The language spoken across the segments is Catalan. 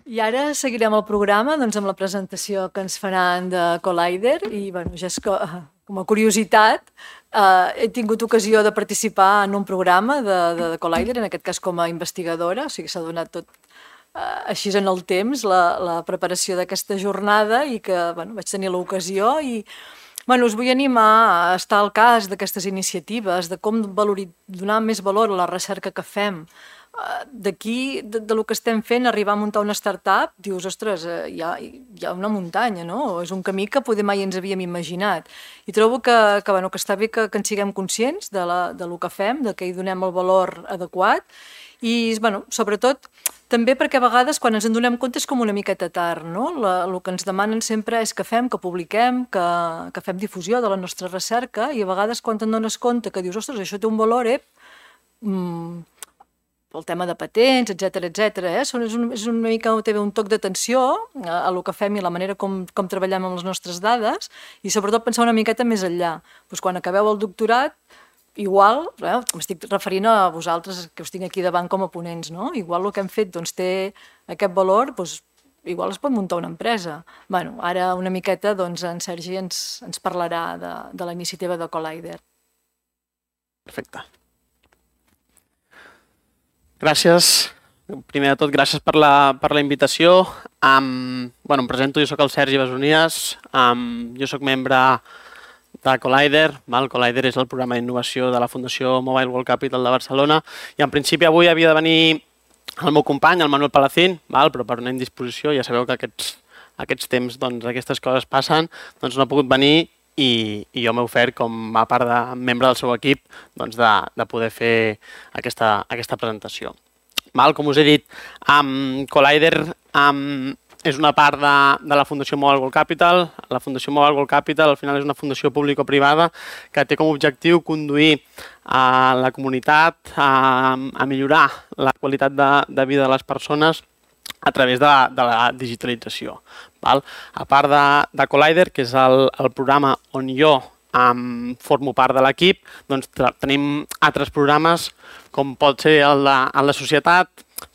I ara seguirem el programa amb la presentació que ens faran de Collider i ja és com a curiositat he tingut ocasió de participar en un programa de Collider, en aquest cas com a investigadora, o sigui s'ha donat tot així en el temps la preparació d'aquesta jornada i que vaig tenir l'ocasió i us vull animar a estar al cas d'aquestes iniciatives, de com donar més valor a la recerca que fem. D'aquí, del que estem fent, arribar a muntar una startup, dius, ostres, hi ha una muntanya, no? És un camí que poder mai ens havíem imaginat. I trobo que està bé que en siguem conscients del que fem, que hi donem el valor adequat i, sobretot, també perquè a vegades quan ens en donem compte és com una miqueta tard, no? El que ens demanen sempre és que fem, que publiquem, que fem difusió de la nostra recerca i a vegades quan te'n dones compte que dius, ostres, això té un valor, el tema de patents, etcètera, és una mica té un toc d'atenció a el que fem i la manera com treballem amb les nostres dades i sobretot pensar una miqueta més enllà. Quan acabeu el doctorat, igual, m'estic referint a vosaltres que us tinc aquí davant com a ponents, no? Igual el que hem fet té aquest valor, igual es pot muntar una empresa. Ara una miqueta en Sergi ens parlarà de la iniciativa de Collider. Perfecte. Gràcies. Primer de tot, gràcies per la invitació. Em presento, jo soc el Sergi Besonies, jo soc membre de Collider. Collider és el programa d'innovació de la Fundació Mobile World Capital de Barcelona i en principi avui havia de venir el meu company, el Manuel Palacín, però per una indisposició, ja sabeu que aquests temps, aquestes coses passen, no ha pogut venir i jo m'he ofert com a part de membre del seu equip de poder fer aquesta presentació. Com us he dit, Collider és una part de la Fundació Mobile World Capital. La Fundació Mobile World Capital al final és una fundació público-privada que té com a objectiu conduir a la comunitat a millorar la qualitat de vida de les persones a través de la digitalització. A part de Collider, que és el programa on jo formo part de l'equip, tenim altres programes com pot ser el de societat,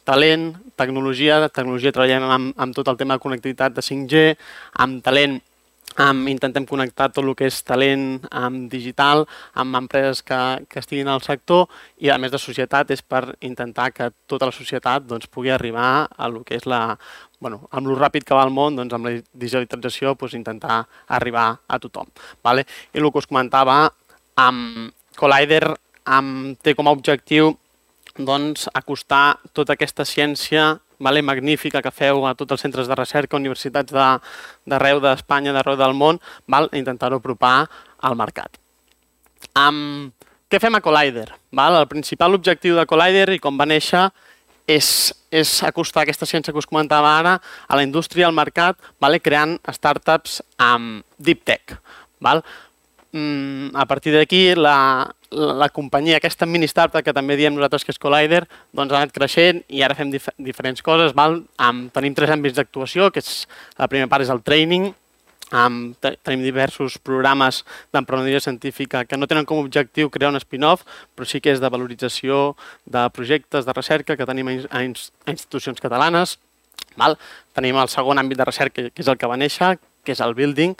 talent, tecnologia. Treballem amb tot el tema de connectivitat de 5G, amb talent intentem connectar tot el que és talent digital amb empreses que estiguin al sector i a més de societat és per intentar que tota la societat pugui arribar a el que és amb el ràpid que va el món, amb la digitalització intentar arribar a tothom. I el que us comentava, Collider té com a objectiu acostar tota aquesta ciència magnífica que feu a tots els centres de recerca, universitats d'arreu d'Espanya, d'arreu del món, intentar-ho apropar al mercat. Què fem a Collider? El principal objectiu de Collider, i com va néixer, és acostar aquesta ciència que us comentava ara a la indústria, al mercat, creant startups deep tech. A partir d'aquí, la companyia, aquesta mini startup que també diem nosaltres que és Collider, ha anat creixent i ara fem diferents coses. Tenim 3 àmbits d'actuació, que la primera part és el training. Tenim diversos programes d'emprenedoria científica que no tenen com a objectiu crear un spin-off, però sí que és de valorització de projectes de recerca que tenim a institucions catalanes. Tenim el segon àmbit de recerca, que és el que va néixer, que és el building,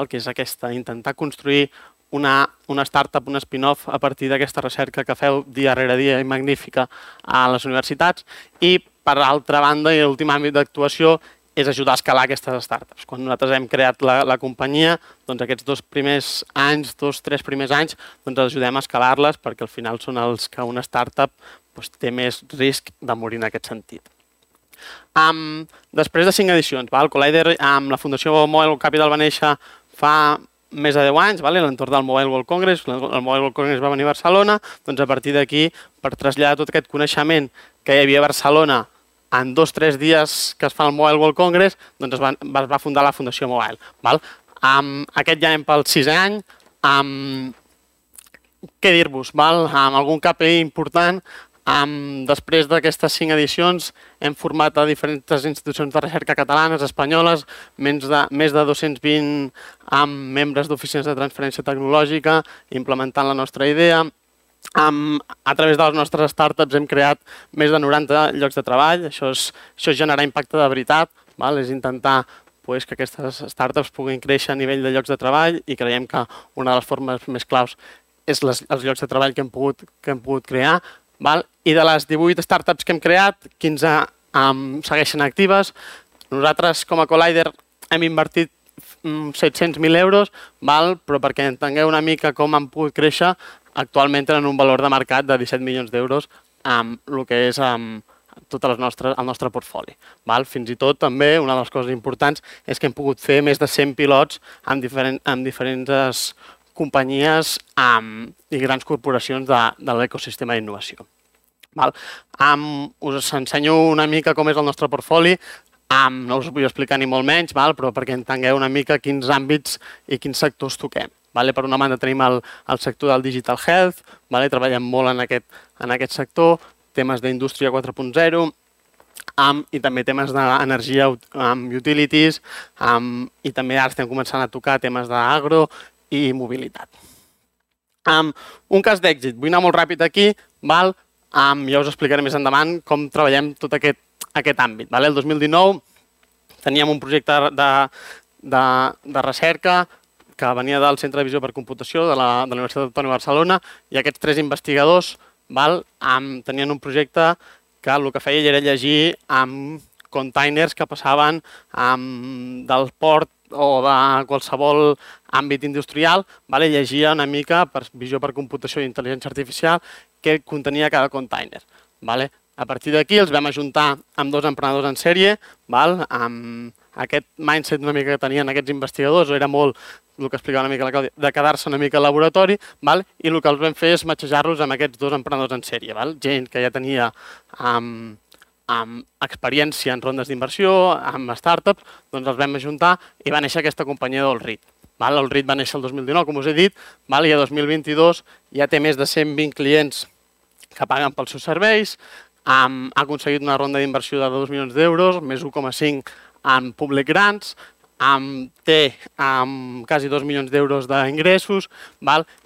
que és intentar construir una startup, un spin-off a partir d'aquesta recerca que feu dia rere dia i magnífica a les universitats. I, per altra banda, i l'últim àmbit d'actuació és ajudar a escalar aquestes startups. Quan nosaltres hem creat la companyia, aquests 2 primers anys, 2-3 primers anys, ajudem a escalar-les perquè al final són els que una startup té més risc de morir en aquest sentit. Després de 5 edicions, Collider amb la Fundació Mobile World Capital va néixer fa més de 10 anys, a l'entorn del Mobile World Congress. El Mobile World Congress va venir a Barcelona, a partir d'aquí, per traslladar tot aquest coneixement que hi havia a Barcelona en 2-3 dies que es fa el Mobile World Congress, es va fundar la Fundació Mobile. Aquest ja anem pel 6è any. Què dir-vos? Algun KPI important. Després d'aquestes 5 edicions hem format a diferents institucions de recerca catalanes, espanyoles, més de 220 membres d'oficines de transferència tecnològica implementant la nostra idea. A través de les nostres startups hem creat més de 90 llocs de treball. Això és generar impacte de veritat, és intentar que aquestes startups puguin créixer a nivell de llocs de treball i creiem que una de les formes més claus és els llocs de treball que hem pogut crear. I de les 18 startups que hem creat, 15 segueixen actives. Nosaltres, com a Collider, hem invertit 700.000 euros, però perquè entengueu una mica com han pogut créixer, actualment tenen un valor de mercat de 17 milions d'euros amb el que és tot el nostre portfoli. Fins i tot, també, una de les coses importants és que hem pogut fer més de 100 pilots amb diferents companyies i grans corporacions de l'ecosistema d'innovació. Us ensenyo una mica com és el nostre portfoli. No us ho vull explicar ni molt menys, però perquè entengueu una mica quins àmbits i quins sectors toquem. Per una banda tenim el sector del Digital Health, treballem molt en aquest sector, temes d'indústria 4.0 i també temes d'energia, utilities, i també ara estem començant a tocar temes d'agro i mobilitat. Un cas d'èxit, vull anar molt ràpid aquí, ja us explicaré més endavant com treballem tot aquest àmbit. El 2019 teníem un projecte de recerca que venia del Centre de Visió per Computació de la Universitat Autònoma de Barcelona i aquests 3 investigadors tenien un projecte que el que feia era llegir containers que passaven del port o de qualsevol àmbit industrial, llegia una mica per visió per computació i intel·ligència artificial què contenia cada container. A partir d'aquí els vam ajuntar amb 2 emprenedors en sèrie, aquest mindset una mica que tenien aquests investigadors era molt el que explicava una mica la Clàudia, de quedar-se una mica al laboratori, i el que els vam fer és matxejar-los amb aquests 2 emprenedors en sèrie. Gent que ja tenia experiència en rondes d'inversió, amb startups, doncs els vam ajuntar i va néixer aquesta companyia d'Allread. Allread va néixer el 2019, com us he dit, i el 2022 ja té més de 120 clients que paguen pels seus serveis, ha aconseguit una ronda d'inversió de 2 milions d'euros, més 1,5 en public grants, té quasi 2 milions d'euros d'ingressos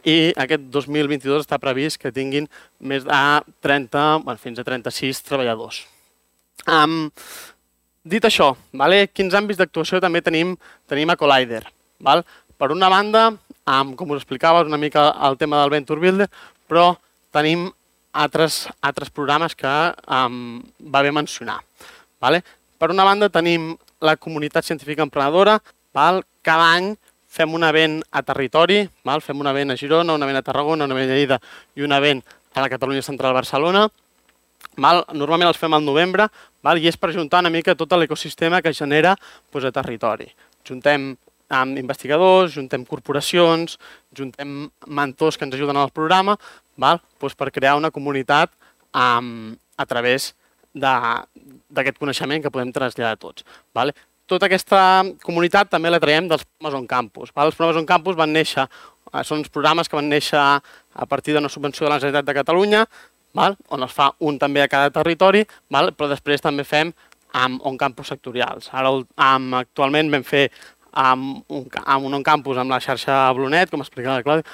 i aquest 2022 està previst que tinguin més de 30, fins a 36 treballadors. Dit això, quins àmbits d'actuació també tenim a Collider? Per una banda, com us explicava, una mica el tema del Venture Builder, però tenim altres programes que va bé mencionar. Per una banda, tenim la comunitat científica emprenedora. Cada any fem un event a territori, fem un event a Girona, un event a Tarragona, un event a Lleida i un event a la Catalunya Central Barcelona. Normalment els fem al novembre i és per ajuntar una mica tot l'ecosistema que genera a territori. Juntem investigadors, juntem corporacions, juntem mentors que ens ajuden al programa per crear una comunitat a través d'aquest coneixement que podem traslladar a tots. Tota aquesta comunitat també la traiem dels programes on campus. Els programes on campus van néixer, són uns programes que van néixer a partir d'una subvenció de la Generalitat de Catalunya, on es fa un també a cada territori, però després també fem on campus sectorials. Actualment vam fer un on campus amb la xarxa Blonet, com explicava la Clàudia,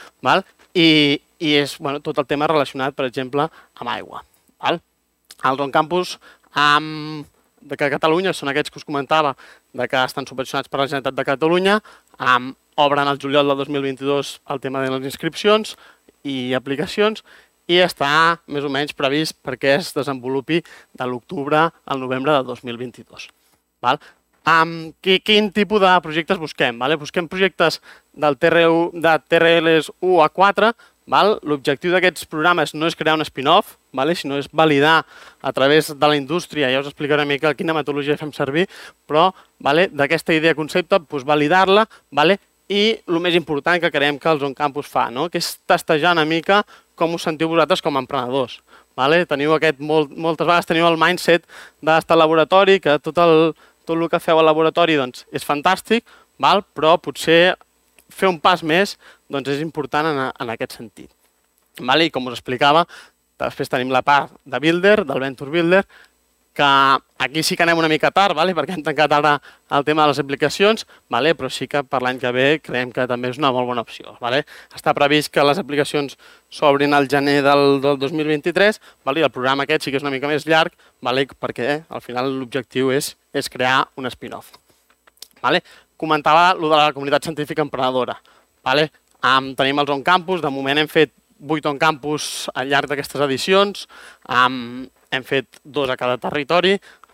i és tot el tema relacionat, per exemple, amb aigua. Els on campus de Catalunya són aquests que us comentava que estan subvencionats per la Generalitat de Catalunya, obren el juliol del 2022 el tema de les inscripcions i aplicacions i està més o menys previst perquè es desenvolupi de l'octubre al novembre del 2022. Quin tipus de projectes busquem? Busquem projectes de TRLs 1 a 4. L'objectiu d'aquests programes no és crear un spin-off, sinó és validar a través de la indústria, ja us explicaré una mica quina metodologia fem servir, però d'aquesta idea concepte, validar-la i el més important que creiem que els on campus fa, que és testejar una mica com us sentiu vosaltres com a emprenedors. Moltes vegades teniu el mindset d'estar al laboratori, que tot el que feu al laboratori és fantàstic, però potser fer un pas més és important en aquest sentit. I com us explicava, després tenim la part de Builder, del Venture Builder, que aquí sí que anem una mica tard, perquè hem tancat ara el tema de les aplicacions, però sí que per l'any que ve creiem que també és una molt bona opció. Està previst que les aplicacions s'obrin al gener del 2023 i el programa aquest sí que és una mica més llarg perquè al final l'objectiu és crear un spin-off. Comentava allò de la comunitat científica emprenedora. Tenim els on-campus, de moment hem fet 8 on-campus al llarg d'aquestes edicions, hem fet 2 a cada territori,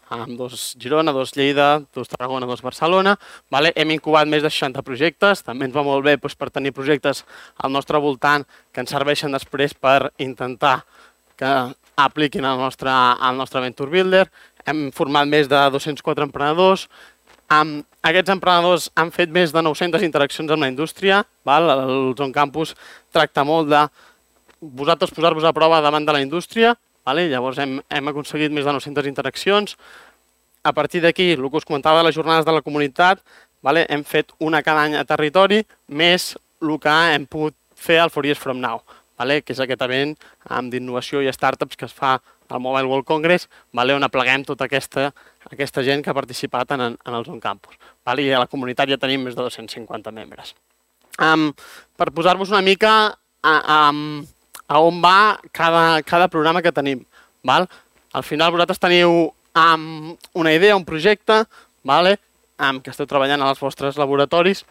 2 Girona, 2 Lleida, 2 Tarragona, 2 Barcelona. Hem incubat més de 60 projectes, també ens va molt bé per tenir projectes al nostre voltant que ens serveixen després per intentar que apliquin el nostre Venture Builder. Hem format més de 204 emprenedors. Aquests emprenedors han fet més de 900 interaccions amb la indústria. El On Campus tracta molt de vosaltres posar-vos a prova davant de la indústria. Llavors hem aconseguit més de 900 interaccions. A partir d'aquí, el que us comentava de les jornades de la comunitat, hem fet una cada any a territori, més el que hem pogut fer al 4 Years From Now, que és aquest event d'innovació i startups que es fa al Mobile World Congress, on apleguem tota aquesta gent que ha participat en els On Campus. I a la comunitat ja tenim més de 250 membres. Per posar-vos una mica a on va cada programa que tenim. Al final vosaltres teniu una idea, un projecte, que esteu treballant als vostres laboratoris,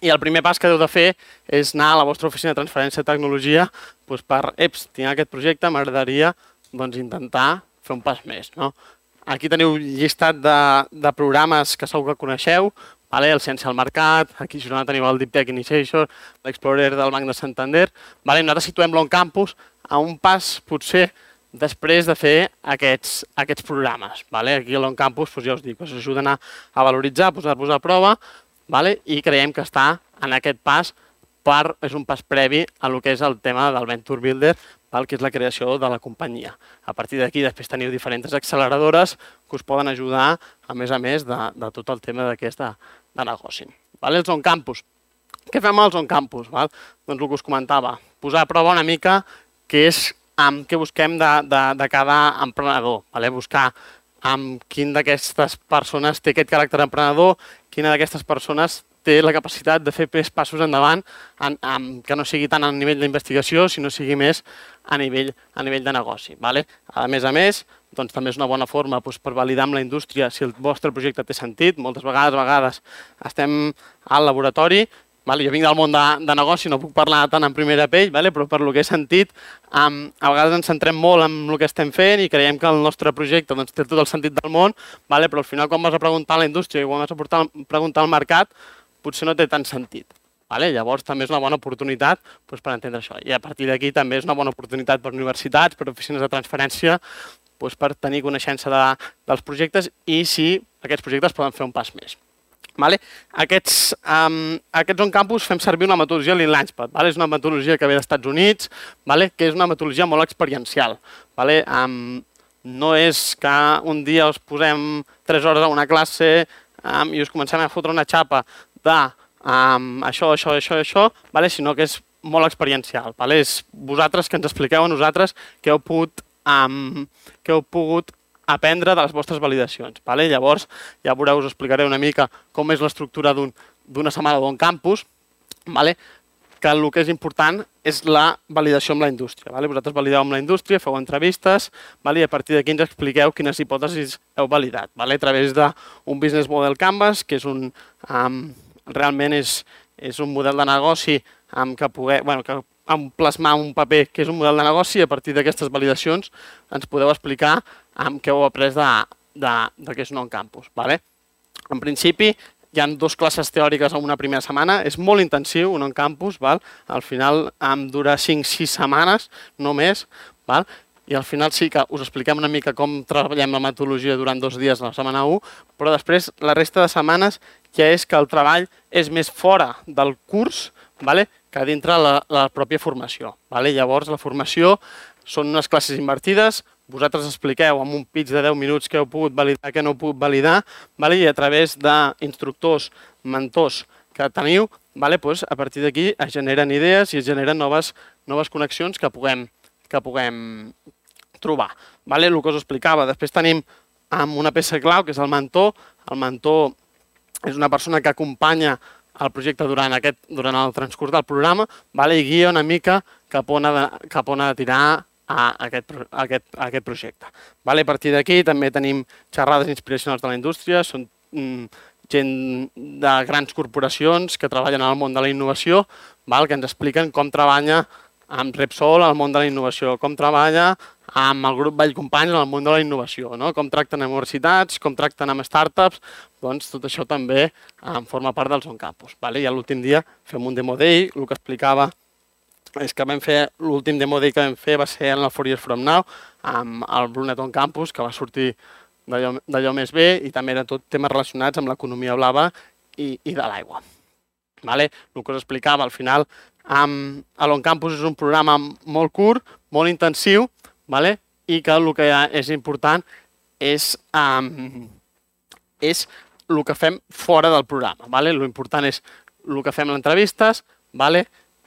i el primer pas que heu de fer és anar a la vostra oficina de transferència de tecnologia per, tinc aquest projecte, m'agradaria intentar fer un pas més. Aquí teniu llistat de programes que segur que coneixeu, el Ciència al Mercat, aquí a Girona teniu el Deep Tech Initiation, l'Explorer del Banc de Santander. Nosaltres situem l'On Campus a un pas, potser, després de fer aquests programes. Aquí a l'On Campus, ja us dic, us ajuden a valoritzar, a posar-vos a prova, i creiem que està en aquest pas, és un pas previ a el que és el tema del Venture Builder, que és la creació de la companyia. A partir d'aquí, després teniu diferents acceleradores que us poden ajudar, a més de tot el tema d'aquest de negoci. Els On Campus. Què fem als On Campus? Doncs el que us comentava, posar a prova una mica què busquem de cada emprenedor. Buscar quin d'aquestes persones té aquest caràcter emprenedor, quina d'aquestes persones té la capacitat de fer més passos endavant, que no sigui tant a nivell d'investigació, sinó sigui més a nivell de negoci. A més, també és una bona forma per validar amb la indústria si el vostre projecte té sentit. Moltes vegades estem al laboratori, jo vinc del món de negoci, no puc parlar tant en primera pell, però per el que he sentit, a vegades ens centrem molt en el que estem fent i creiem que el nostre projecte té tot el sentit del món, però al final quan vas a preguntar a la indústria i quan vas a preguntar al mercat, potser no té tant sentit. Llavors també és una bona oportunitat per entendre això. I a partir d'aquí també és una bona oportunitat per universitats, per oficines de transferència, per tenir coneixença dels projectes i si aquests projectes poden fer un pas més. Aquests On Campus fem servir una metodologia Lean Launchpad. És una metodologia que ve dels Estats Units, que és una metodologia molt experiencial. No és que un dia us posem 3 hores a una classe i us comencem a fotre una xapa d'això, sinó que és molt experiencial. És vosaltres que ens expliqueu a nosaltres què heu pogut aprendre de les vostres validacions. Llavors, ja veureu, us explicaré una mica com és l'estructura d'una setmana d'On Campus, que el que és important és la validació amb la indústria. Vosaltres valideu amb la indústria, feu entrevistes, i a partir d'aquí ens expliqueu quines hipòtesis heu validat, a través d'un Business Model Canvas, que realment és un model de negoci que plasmar un paper que és un model de negoci i a partir d'aquestes validacions ens podeu explicar què heu après de què és un On Campus. En principi, hi ha 2 classes teòriques en una primera setmana, és molt intensiu un On Campus, al final dura 5-6 setmanes, no més, i al final sí que us expliquem una mica com treballem la metodologia durant 2 dies a la setmana 1, però després la resta de setmanes ja és que el treball és més fora del curs que dintre la pròpia formació. Llavors, la formació són unes classes invertides, vosaltres expliqueu en un pitch de 10 minuts què heu pogut validar, què no heu pogut validar, i a través d'instructors, mentors que teniu, a partir d'aquí es generen idees i es generen noves connexions que puguem trobar. El que us explicava. Després tenim amb una peça clau, que és el mentor. El mentor és una persona que acompanya el projecte durant el transcurs del programa, i guia una mica cap on ha de tirar aquest projecte. A partir d'aquí també tenim xerrades inspiracionals de la indústria, són gent de grans corporacions que treballen al món de la innovació, que ens expliquen com treballa amb Repsol al món de la innovació, com treballa amb el grup Vallcompanys en el món de la innovació, com tracten amb universitats, com tracten amb startups, doncs tot això també forma part del On Campus. I l'últim dia fem un Demo Day, el que explicava és que l'últim Demo Day que vam fer va ser en el 4 Years From Now, amb el Brunet On Campus, que va sortir d'allò més bé, i també eren tot temes relacionats amb l'economia blava i de l'aigua. El que us explicava, al final, l'On Campus és un programa molt curt, molt intensiu, i que el que és important és el que fem fora del programa. L'important és el que fem en entrevistes,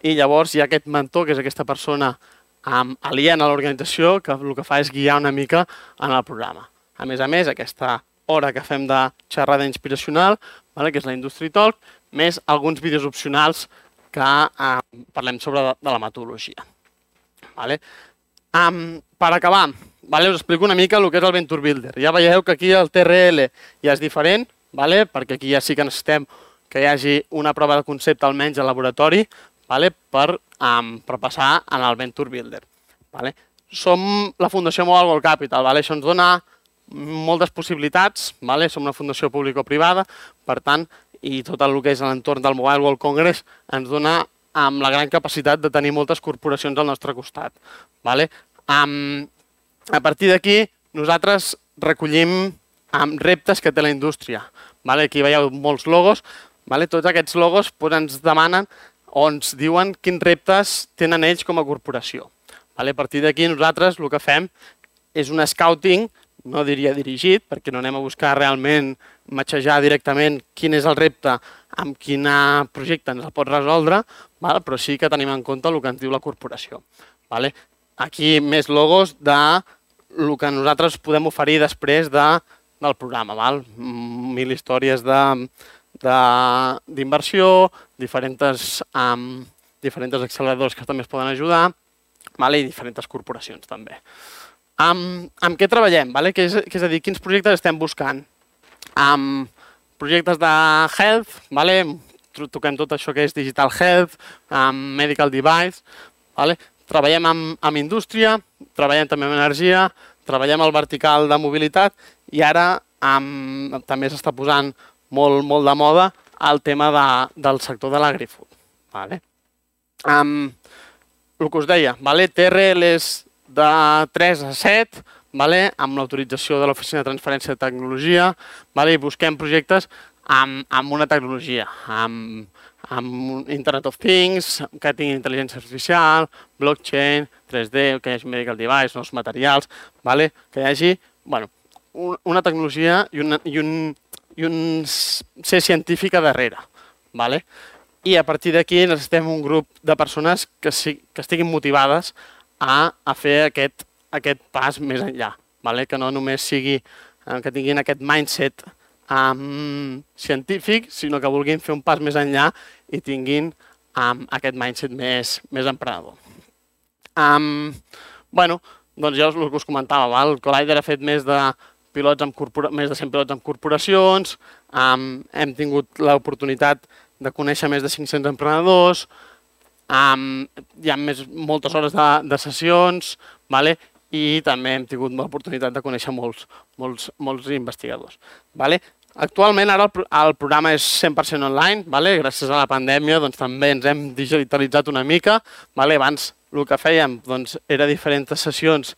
i llavors hi ha aquest mentor, que és aquesta persona aliena a l'organització, que el que fa és guiar una mica en el programa. A més, aquesta hora que fem de xerrada inspiracional, que és la Industry Talk, més alguns vídeos opcionals que parlem sobre de la metodologia. Per acabar, us explico una mica el que és el Venture Builder. Ja veieu que aquí el TRL ja és diferent, perquè aquí ja sí que necessitem que hi hagi una prova de concepte almenys al laboratori per passar en el Venture Builder. Som la Fundació Mobile World Capital, això ens dona moltes possibilitats, som una fundació público-privada, per tant, i tot el que és l'entorn del Mobile World Congress ens dona amb la gran capacitat de tenir moltes corporacions al nostre costat. A partir d'aquí, nosaltres recollim reptes que té la indústria. Aquí veieu molts logos. Tots aquests logos ens demanen o ens diuen quins reptes tenen ells com a corporació. A partir d'aquí, nosaltres el que fem és un scouting, no diria dirigit, perquè no anem a buscar realment matxejar directament quin és el repte amb quin projecte ens el pot resoldre, però sí que tenim en compte el que ens diu la corporació. Aquí més logos del que nosaltres podem oferir després del programa. 1000 històries d'inversió, diferents acceleradors que també es poden ajudar i diferents corporacions també. Amb què treballem? És a dir, quins projectes estem buscant? Projectes de health, toquem tot això que és digital health, medical device, treballem amb indústria, treballem també amb energia, treballem al vertical de mobilitat i ara també s'està posant molt de moda el tema del sector de l'agrifood. El que us deia, TRLs de 3 a 7, amb l'autorització de l'Oficina de Transferència de Tecnologia, i busquem projectes amb una tecnologia, amb Internet of Things, que tingui intel·ligència artificial, blockchain, 3D, que hi hagi medical device, nous materials, que hi hagi una tecnologia i un ser científica darrere. I a partir d'aquí necessitem un grup de persones que estiguin motivades a fer aquest pas més enllà, que no només sigui que tinguin aquest mindset científic, sinó que vulguin fer un pas més enllà i tinguin aquest mindset més emprenedor. Doncs ja el que us comentava, el Collider ha fet més de 100 pilots amb corporacions, hem tingut l'oportunitat de conèixer més de 500 emprenedors, hi ha moltes hores de sessions i també hem tingut l'oportunitat de conèixer molts investigadors. Actualment ara el programa és 100% online, gràcies a la pandèmia també ens hem digitalitzat una mica. Abans el que fèiem era diferents sessions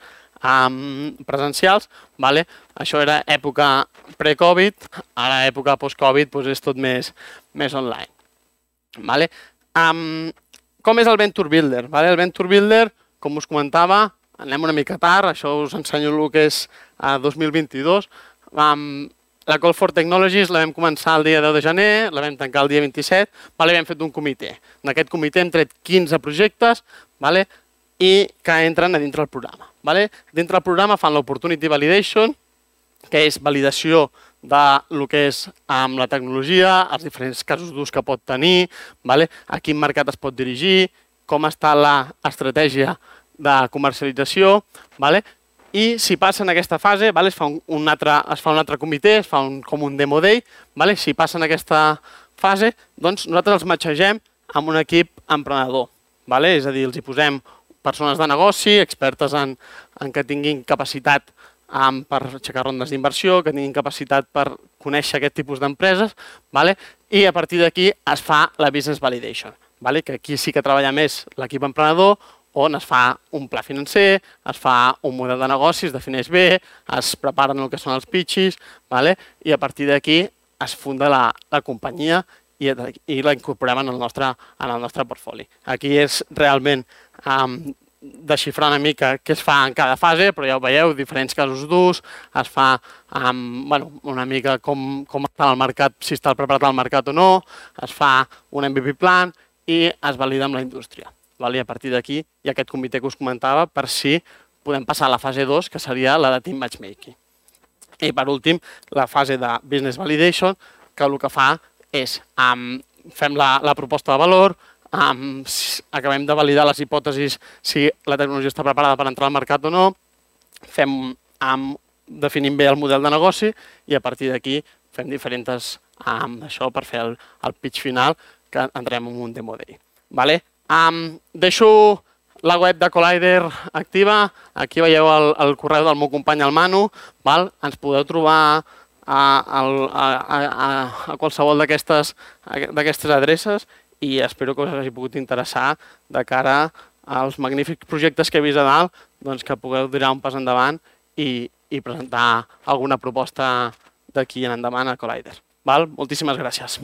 presencials, això era època pre-Covid, ara època post-Covid és tot més online. Com és el Venture Builder? El Venture Builder, com us comentava, anem una mica tard, això us ensenyo el que és 2022. La Call for Technologies la vam començar el dia 10 de gener, la vam tancar el dia 27, i vam fet un comitè. En aquest comitè hem tret 15 projectes i que entren a dintre del programa. Dintre del programa fan l'Opportunity Validation, que és validació del que és amb la tecnologia, els diferents casos d'ús que pot tenir, a quin mercat es pot dirigir, com està l'estratègia de comercialització, i si passa en aquesta fase es fa un altre comitè, es fa com un demo day, si passa en aquesta fase, doncs nosaltres els matxegem amb un equip emprenedor, és a dir, els hi posem persones de negoci, expertes en que tinguin capacitat per aixecar rondes d'inversió, que tinguin capacitat per conèixer aquest tipus d'empreses, i a partir d'aquí es fa la business validation, que aquí sí que treballa més l'equip emprenedor, on es fa un pla financer, es fa un model de negoci, es defineix bé, es preparen el que són els pitches, i a partir d'aquí es funda la companyia i la incorporem en el nostre portfoli. Aquí és realment desxifrar una mica què es fa en cada fase, però ja ho veieu, diferents casos d'ús, es fa una mica com està el mercat, si està preparat el mercat o no, es fa un MVP plan i es valida amb la indústria. I a partir d'aquí hi ha aquest comitè que us comentava per si podem passar a la fase 2, que seria la de team matchmaking. I per últim, la fase de business validation, que el que fa és fem la proposta de valor, acabem de validar les hipòtesis si la tecnologia està preparada per entrar al mercat o no, definim bé el model de negoci i a partir d'aquí fem diferents això per fer el pitch final, que entrem en un demo day. Deixo la web de Collider activa, aquí veieu el correu del meu company, el Manu, ens podeu trobar a qualsevol d'aquestes adreces i espero que us hagi pogut interessar de cara als magnífics projectes que he vist a dalt, que pugueu donar un pas endavant i presentar alguna proposta d'aquí en endavant a Collider. Moltíssimes gràcies.